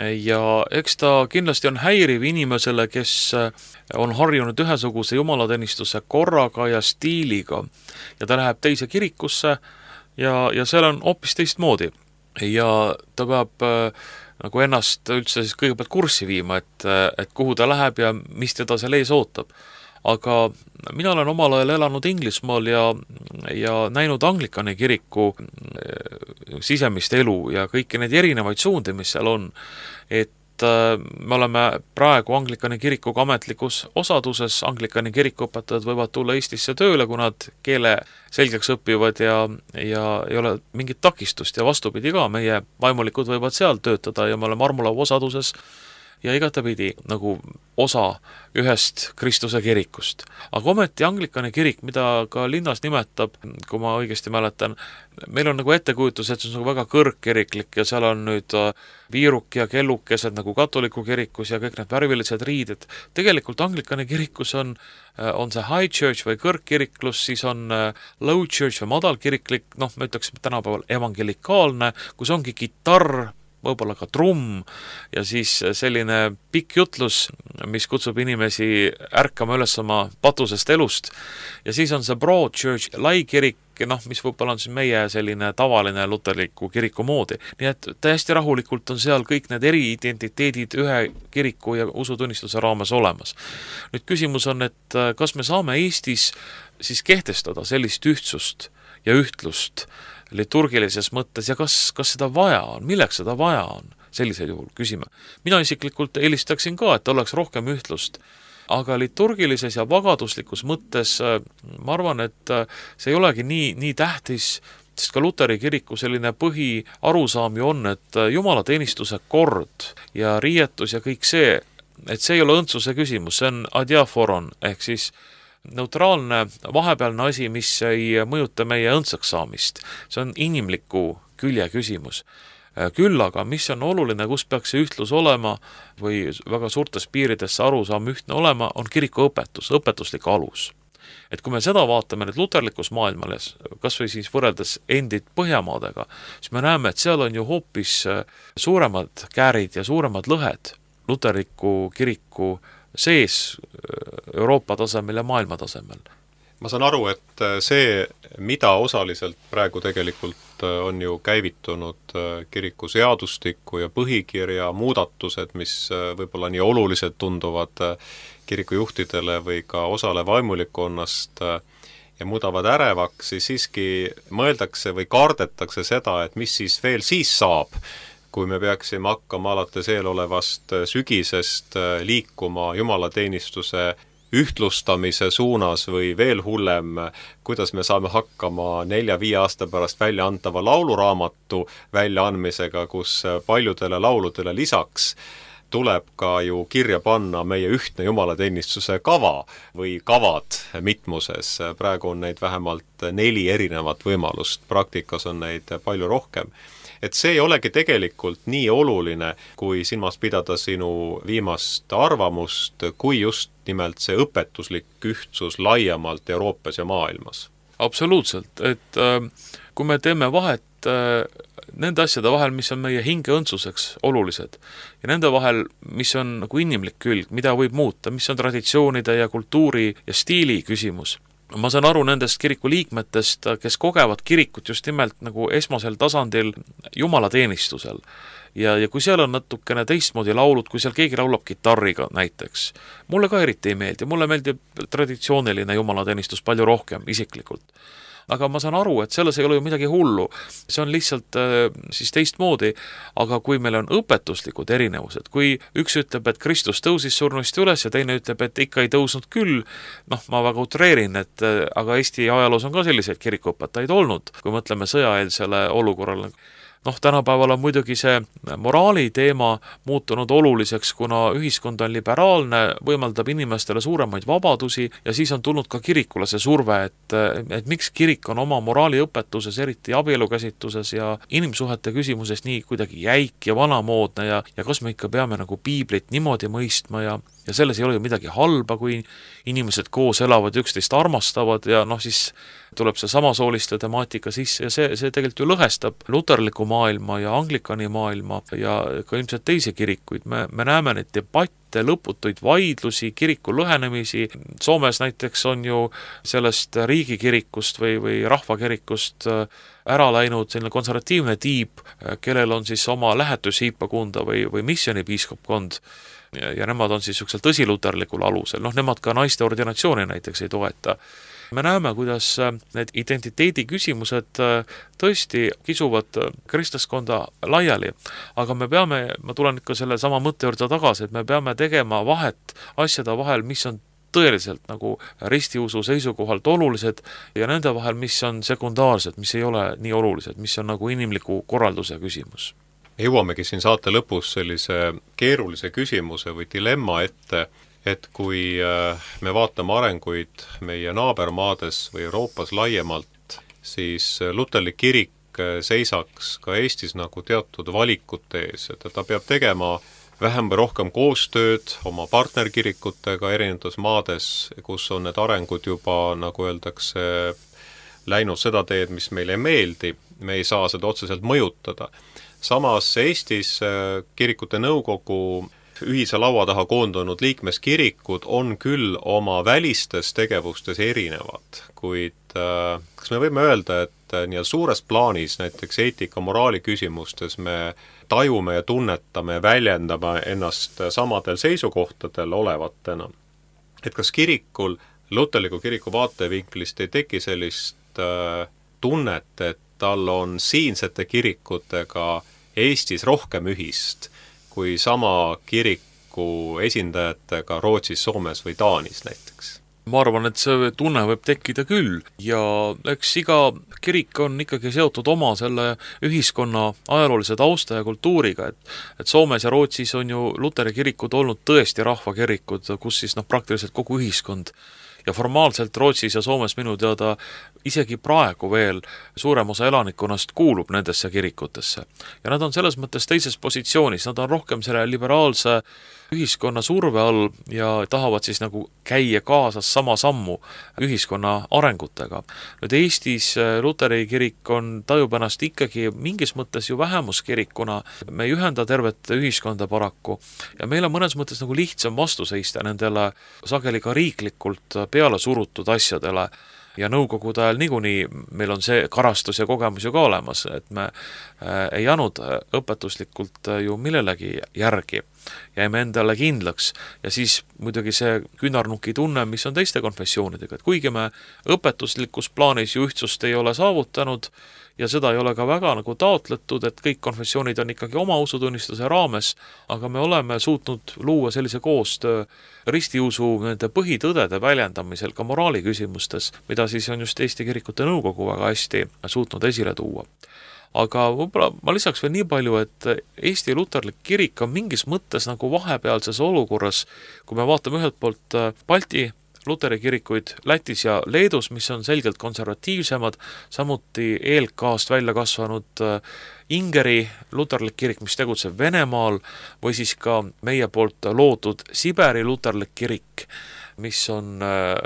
Ja eks ta kindlasti on häiriv inimesele, kes on harjunud ühesuguse jumalateenistuse korraga ja stiiliga ja ta läheb teise kirikusse ja, ja seal on hoopis teistmoodi ja ta peab äh, nagu ennast üldse siis kõigepealt kurssi viima, et, et kuhu ta läheb ja mis teda seal ees ootab. Aga mina olen omal ajal elanud Inglismaal ja, ja näinud anglikani kiriku sisemist elu ja kõiki neid erinevaid suundi, mis seal on, et me oleme praegu anglikani kirikuga ametlikus osaduses, anglikani kirikuõpetajad võivad tulla Eestisse tööle, kui nad keele selgeks õpivad ja, ja ei ole mingit takistust ja vastupidi ka, meie vaimulikud võivad seal töötada ja me oleme armulaua osaduses ja igatepidi nagu osa ühest Kristuse kirikust. Aga ometi anglikani kirik, mida ka linnas nimetab, kui ma õigesti mäletan, meil on nagu ettekujutus, et see on nagu väga kõrgkiriklik ja seal on nüüd viiruk ja kellukesed nagu katoliku kirikus ja kõik need värvilised riided. Tegelikult anglikani kirikus on, on see high church või kõrgkiriklus, siis on low church või madalkiriklik, noh, me ütleksime tänapäeval evangelikaalne, kus ongi kitarr, võib-olla ka trumm ja siis selline pikk jutlus, mis kutsub inimesi ärkama üles oma patusest elust. Ja siis on see broad church, lai kirik, noh, mis võib-olla on siis meie selline tavaline luterliku kiriku moodi. Nii et täiesti rahulikult on seal kõik need eri identiteedid ühe kiriku ja usutunnistuse raames olemas. Nüüd küsimus on, et kas me saame Eestis siis kehtestada sellist ühtsust ja ühtlust liturgilises mõttes ja kas, kas seda vaja on, milleks seda vaja on, sellisel juhul küsime. Mina isiklikult eelistaksin ka, et oleks rohkem ühtlust, aga liturgilises ja vagaduslikus mõttes ma arvan, et see ei olegi nii, nii tähtis, sest ka Luteri kiriku selline põhi arusaam ju on, et jumalateenistuse kord ja riietus ja kõik see, et see ei ole õndsuse küsimus, see on adiaforon, ehk siis neutraalne vahepealne asi, mis ei mõjuta meie õndsaks saamist. See on inimliku külje küsimus. Küll aga, mis on oluline, kus peaks see ühtlus olema või väga suurtes piirides see arusaam ühtne olema, on kiriku õpetus, õpetuslik alus. Et kui me seda vaatame nüüd luterlikus maailmales, kas või siis võrreldes endid Põhjamaadega, siis me näeme, et seal on ju hoopis suuremad käärid ja suuremad lõhed luterliku kiriku sees Euroopa tasemel ja maailma tasemel. Ma saan aru, et see, mida osaliselt praegu tegelikult on ju käivitunud kiriku seadustiku ja põhikirja muudatused, mis võib-olla nii olulised tunduvad kirikujuhtidele või ka osale vaimulikonnast ja muudavad ärevaks, siis siiski mõeldakse või kardetakse seda, et mis siis veel siis saab, kui me peaksime hakkama alates eelolevast sügisest liikuma jumalateenistuse ühtlustamise suunas või veel hullem, kuidas me saame hakkama nelja-viie aasta pärast välja antava lauluraamatu väljaandmisega, kus paljudele lauludele lisaks tuleb ka ju kirja panna meie ühtne jumalateenistuse kava või kavad mitmuses. Praegu on neid vähemalt neli erinevat võimalust, praktikas on neid palju rohkem. Et see ei olegi tegelikult nii oluline, kui silmas pidada sinu viimast arvamust, kui just nimelt see õpetuslik ühtsus laiemalt Euroopas ja maailmas. Absoluutselt, et äh, kui me teeme vahet äh, nende asjade vahel, mis on meie hinge õndsuseks olulised ja nende vahel, mis on nagu inimlik külg, mida võib muuta, mis on traditsioonide ja kultuuri ja stiili küsimus. Ma saan aru nendest kiriku liikmetest, kes kogevad kirikut just nimelt nagu esmasel tasandil jumalateenistusel. Ja, ja kui seal on natukene teistmoodi laulud, kui seal keegi laulab kitarriga näiteks, mulle ka eriti ei meeldi, mulle meeldib traditsiooniline jumalateenistus palju rohkem isiklikult. Aga ma saan aru, et selles ei ole ju midagi hullu, see on lihtsalt äh, siis teistmoodi, aga kui meil on õpetuslikud erinevused, kui üks ütleb, et Kristus tõusis surnuist üles ja teine ütleb, et ikka ei tõusnud küll, noh, ma väga utreerin, et äh, aga Eesti ajaloos on ka selliseid kirikuõpetajaid olnud, kui mõtleme sõjaeelsele olukorrale. Noh, tänapäeval on muidugi see moraali teema muutunud oluliseks, kuna ühiskond on liberaalne, võimaldab inimestele suuremaid vabadusi ja siis on tulnud ka kirikule see surve, et, et miks kirik on oma moraaliõpetuses, eriti abielukäsitluses ja inimsuhete küsimuses nii kuidagi jäik ja vanamoodne ja, ja kas me ikka peame nagu piiblit niimoodi mõistma ja ja selles ei ole ju midagi halba, kui inimesed koos elavad, üksteist armastavad ja noh, siis tuleb see samasooliste temaatika sisse ja see, see tegelikult ju lõhestab luterliku maailma ja anglikani maailma ja ka ilmselt teisi kirikuid. Me, me näeme neid debatte, lõputuid vaidlusi, kiriku lõhenemisi. Soomes näiteks on ju sellest riigikirikust või, või rahvakirikust ära läinud selline konservatiivne tiib, kellel on siis oma lähetushiipakunda või, või missionipiiskopkond. Ja, ja nemad on siis niisugusel tõsiluterlikul alusel, noh nemad ka naiste ordinatsiooni näiteks ei toeta. Me näeme, kuidas need identiteedi küsimused tõesti kisuvad kristlaskonda laiali, aga me peame, ma tulen ikka selle sama mõtte juurde tagasi, et me peame tegema vahet asjade vahel, mis on tõeliselt nagu ristiusu seisukohalt olulised ja nende vahel, mis on sekundaarsed, mis ei ole nii olulised, mis on nagu inimliku korralduse küsimus. Jõuamegi siin saate lõpus sellise keerulise küsimuse või dilemma ette, et kui me vaatame arenguid meie naabermaades või Euroopas laiemalt, siis luterlik kirik seisaks ka Eestis nagu teatud valikute ees, et ta peab tegema vähem või rohkem koostööd oma partnerkirikutega erinevates maades, kus on need arengud juba, nagu öeldakse, läinud seda teed, mis meile ei meeldi, me ei saa seda otseselt mõjutada. Samas Eestis kirikute nõukogu ühise laua taha koondunud liikmeskirikud on küll oma välistes tegevustes erinevad, kuid äh, kas me võime öelda, et äh, nii suures plaanis näiteks eetika moraali küsimustes me tajume ja tunnetame ja väljendame ennast samadel seisukohtadel olevatena. Et kas kirikul, luterliku kiriku vaatevinklist ei teki sellist äh, tunnet, et tal on siinsete kirikutega Eestis rohkem ühist kui sama kiriku esindajatega Rootsis, Soomes või Taanis näiteks? Ma arvan, et see tunne võib tekkida küll ja eks iga kirik on ikkagi seotud oma selle ühiskonna ajaloolise tausta ja kultuuriga, et, et Soomes ja Rootsis on ju luteri kirikud olnud tõesti rahvakirikud, kus siis noh, praktiliselt kogu ühiskond ja formaalselt Rootsis ja Soomes minu teada isegi praegu veel suurem osa elanikkonnast kuulub nendesse kirikutesse. Ja nad on selles mõttes teises positsioonis, nad on rohkem selle liberaalse ühiskonna surve all ja tahavad siis nagu käia kaasas sama sammu ühiskonna arengutega. Nüüd Eestis Luteri kirik on tajub ennast ikkagi mingis mõttes ju vähemuskirikuna, me ei ühenda tervet ühiskonda paraku ja meil on mõnes mõttes nagu lihtsam vastu seista nendele sageli ka riiklikult peale surutud asjadele. Ja nõukogude ajal niikuinii meil on see karastus ja kogemus ju ka olemas, et me ei jäänud õpetuslikult ju millelegi järgi, jäime endale kindlaks ja siis muidugi see küünarnuki tunne, mis on teiste konfessioonidega, et kuigi me õpetuslikus plaanis ju ühtsust ei ole saavutanud ja seda ei ole ka väga nagu taotletud, et kõik konfessioonid on ikkagi oma usutunnistuse raames, aga me oleme suutnud luua sellise koostöö ristiusu nende põhitõdede väljendamisel ka moraali küsimustes, mida siis on just Eesti Kirikute Nõukogu väga hästi suutnud esile tuua. Aga võib-olla ma lisaks veel nii palju, et Eesti Luterlik kirik on mingis mõttes nagu vahepealses olukorras, kui me vaatame ühelt poolt Balti Luteri kirikuid Lätis ja Leedus, mis on selgelt konservatiivsemad, samuti E L K-st välja kasvanud Ingeri luterlik kirik, mis tegutseb Venemaal, või siis ka meie poolt loodud Siberi luterlik kirik, mis on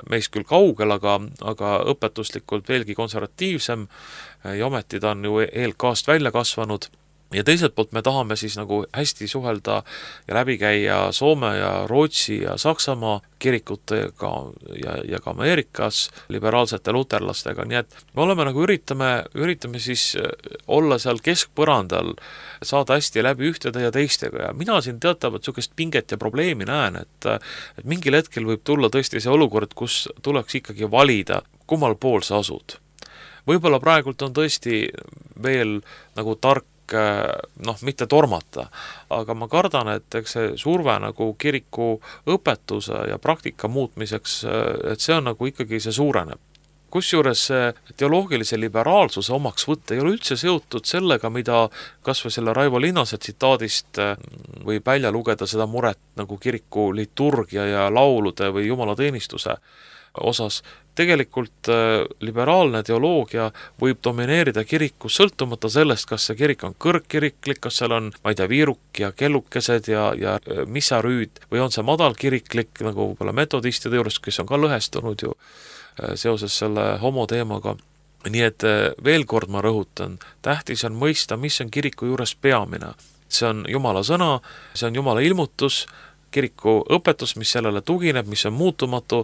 meist küll kaugel, aga, aga õpetuslikult veelgi konservatiivsem ja ometi ta on ju E L K-st välja kasvanud. Ja teiselt poolt me tahame siis nagu hästi suhelda ja läbi käia Soome ja Rootsi ja Saksamaa kirikutega ja, ja ka Ameerikas liberaalsete luterlastega, nii et me oleme nagu üritame, üritame siis olla seal keskpõrandal, saada hästi läbi ühtede ja teistega ja mina siin teatavat niisugust pinget ja probleemi näen, et, et mingil hetkel võib tulla tõesti see olukord, kus tuleks ikkagi valida, kummal pool sa asud. Võib-olla praegult on tõesti veel nagu tark noh, mitte tormata, aga ma kardan, et eks see surve nagu kiriku õpetuse ja praktika muutmiseks, et see on nagu ikkagi see suureneb. Kusjuures see teoloogilise liberaalsuse omaks võtta ei ole üldse seotud sellega, mida kas või selle Raivo Linnase tsitaadist võib välja lugeda seda muret nagu kiriku liturgia ja laulude või jumalateenistuse osas. Tegelikult liberaalne teoloogia võib domineerida kirikus sõltumata sellest, kas see kirik on kõrgkiriklik, kas seal on, ma ei tea, viiruk ja kellukesed ja, ja missarüüd või on see madalkiriklik, nagu võib-olla metodistide juures, kes on ka lõhestunud ju seoses selle homo teemaga. Nii et veel kord ma rõhutan, tähtis on mõista, mis on kiriku juures peamine. See on Jumala sõna, see on Jumala ilmutus, kiriku õpetus, mis sellele tugineb, mis on muutumatu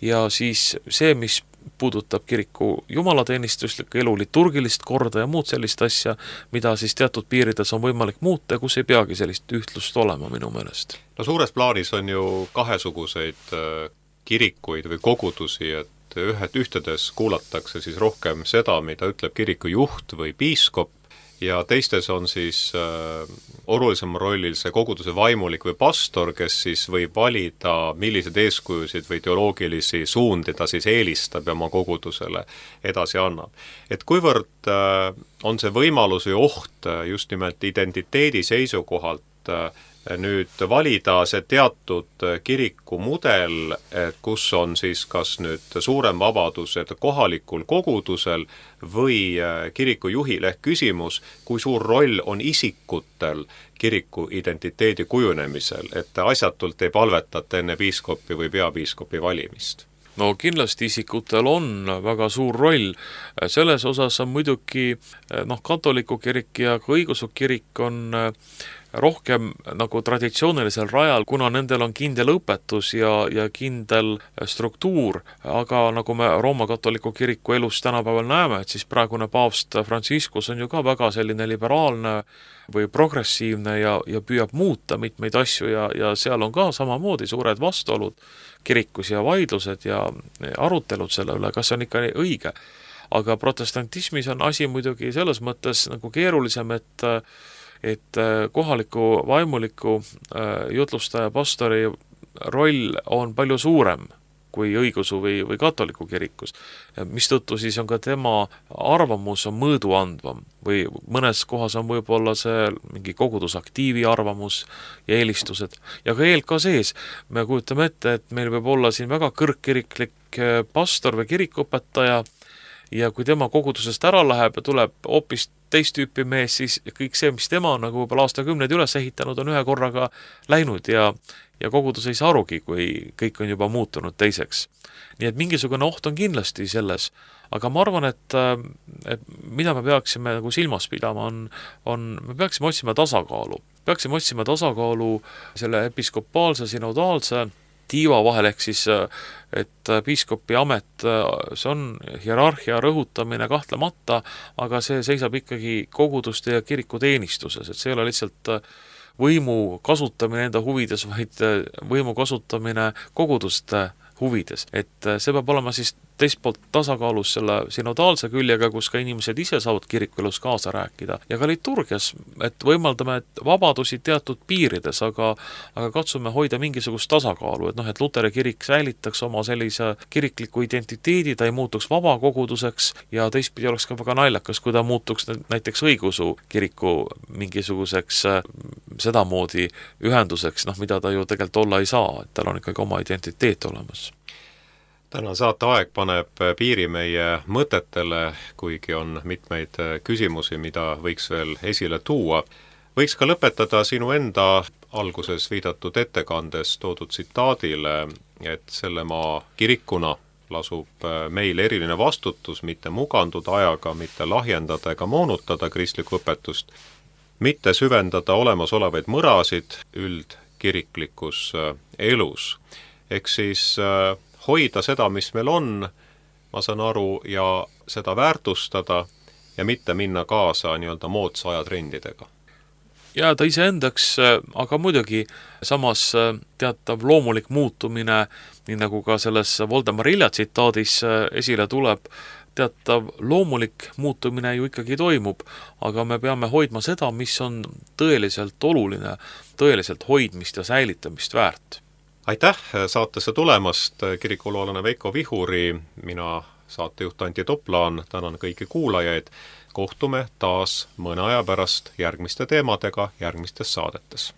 ja siis see, mis puudutab kiriku jumalateenistuslikku elu, liturgilist korda ja muud sellist asja, mida siis teatud piirides on võimalik muuta ja kus ei peagi sellist ühtlust olema minu meelest. No suures plaanis on ju kahesuguseid kirikuid või kogudusi, et ühed ühtedes kuulatakse siis rohkem seda, mida ütleb kiriku juht või piiskop, ja teistes on siis äh, olulisem rollil see koguduse vaimulik või pastor, kes siis võib valida, millised eeskujusid või teoloogilisi suundi ta siis eelistab ja oma kogudusele edasi annab. Et kuivõrd äh, on see võimalus või oht just nimelt identiteedi seisukohalt äh, nüüd valida see teatud kiriku mudel, kus on siis kas nüüd suurem vabadus kohalikul kogudusel või kiriku juhil ehk küsimus, kui suur roll on isikutel kiriku identiteedi kujunemisel, et asjatult ei palvetata enne piiskopi või peapiiskopi valimist. No kindlasti isikutel on väga suur roll. Selles osas on muidugi noh, katoliku kirik ja ka õigeusu kirik on rohkem nagu traditsioonilisel rajal, kuna nendel on kindel õpetus ja, ja kindel struktuur, aga nagu me Rooma katoliku kiriku elus tänapäeval näeme, et siis praegune paavst Franciscus on ju ka väga selline liberaalne või progressiivne ja, ja püüab muuta mitmeid asju ja, ja seal on ka samamoodi suured vastuolud kirikus ja vaidlused ja arutelud selle üle, kas on ikka õige. Aga protestantismis on asi muidugi selles mõttes nagu keerulisem, et et kohaliku vaimuliku jutlustaja pastori roll on palju suurem kui õigeusu või, või katoliku kirikus. Mistõttu siis on ka tema arvamus on mõõdu andvam või mõnes kohas on võib-olla see mingi kogudusaktiivi arvamus ja eelistused. ja ka E L K sees me kujutame ette, et meil võib olla siin väga kõrgkiriklik pastor või kirikuõpetaja ja kui tema kogudusest ära läheb ja tuleb hoopis teist tüüpi mees, siis kõik see, mis tema on nagu võib-olla aastakümneid üles ehitanud, on ühe korraga läinud ja, ja kogudus ei saa arugi, kui kõik on juba muutunud teiseks. Nii et mingisugune oht on kindlasti selles, aga ma arvan, et, et mida me peaksime nagu silmas pidama, on, on, me peaksime otsima tasakaalu. Peaksime otsima tasakaalu selle episkopaalse, synodaalse tiiva vahel, ehk siis, et piiskopi amet, see on hierarhia rõhutamine kahtlemata, aga see seisab ikkagi koguduste ja kiriku teenistuses, et see ei ole lihtsalt võimu kasutamine enda huvides, vaid võimu kasutamine koguduste huvides. Et see peab olema siis teist poolt tasakaalus selle synodaalse küljega, kus ka inimesed ise saavad kirikuelus kaasa rääkida. Ja ka liturgias, et võimaldame et vabadusi teatud piirides, aga, aga katsume hoida mingisugust tasakaalu, et noh, et Luteri kirik säilitaks oma sellise kirikliku identiteedi, ta ei muutuks vabakoguduseks ja teistpidi oleks ka väga naljakas, kui ta muutuks näiteks õigeusu kiriku mingisuguseks sedamoodi ühenduseks, noh, mida ta ju tegelikult olla ei saa, et tal on ikkagi oma identiteet olemas. Täna saate aeg paneb piiri meie mõtetele, kuigi on mitmeid küsimusi, mida võiks veel esile tuua. Võiks ka lõpetada sinu enda alguses viidatud ettekandes toodud tsitaadile, et selle maa kirikuna lasub meil eriline vastutus mitte muganduda ajaga, mitte lahjendada ega moonutada kristlikku õpetust, mitte süvendada olemasolevaid mõrasid üldkiriklikus elus. Ehk siis hoida seda, mis meil on, ma saan aru, ja seda väärtustada ja mitte minna kaasa nii-öelda moodsa ajatrendidega. Jääda iseendaks, aga muidugi samas teatav loomulik muutumine, nii nagu ka selles Voldemar Ilja tsitaadis esile tuleb, teatav loomulik muutumine ju ikkagi toimub, aga me peame hoidma seda, mis on tõeliselt oluline, tõeliselt hoidmist ja säilitamist väärt. Aitäh saatesse tulemast, kirikuloolane Veiko Vihuri, mina saatejuht Anti Toplaan, tänan kõiki kuulajaid, kohtume taas mõne aja pärast järgmiste teemadega järgmistes saadetes.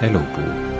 Elupuu.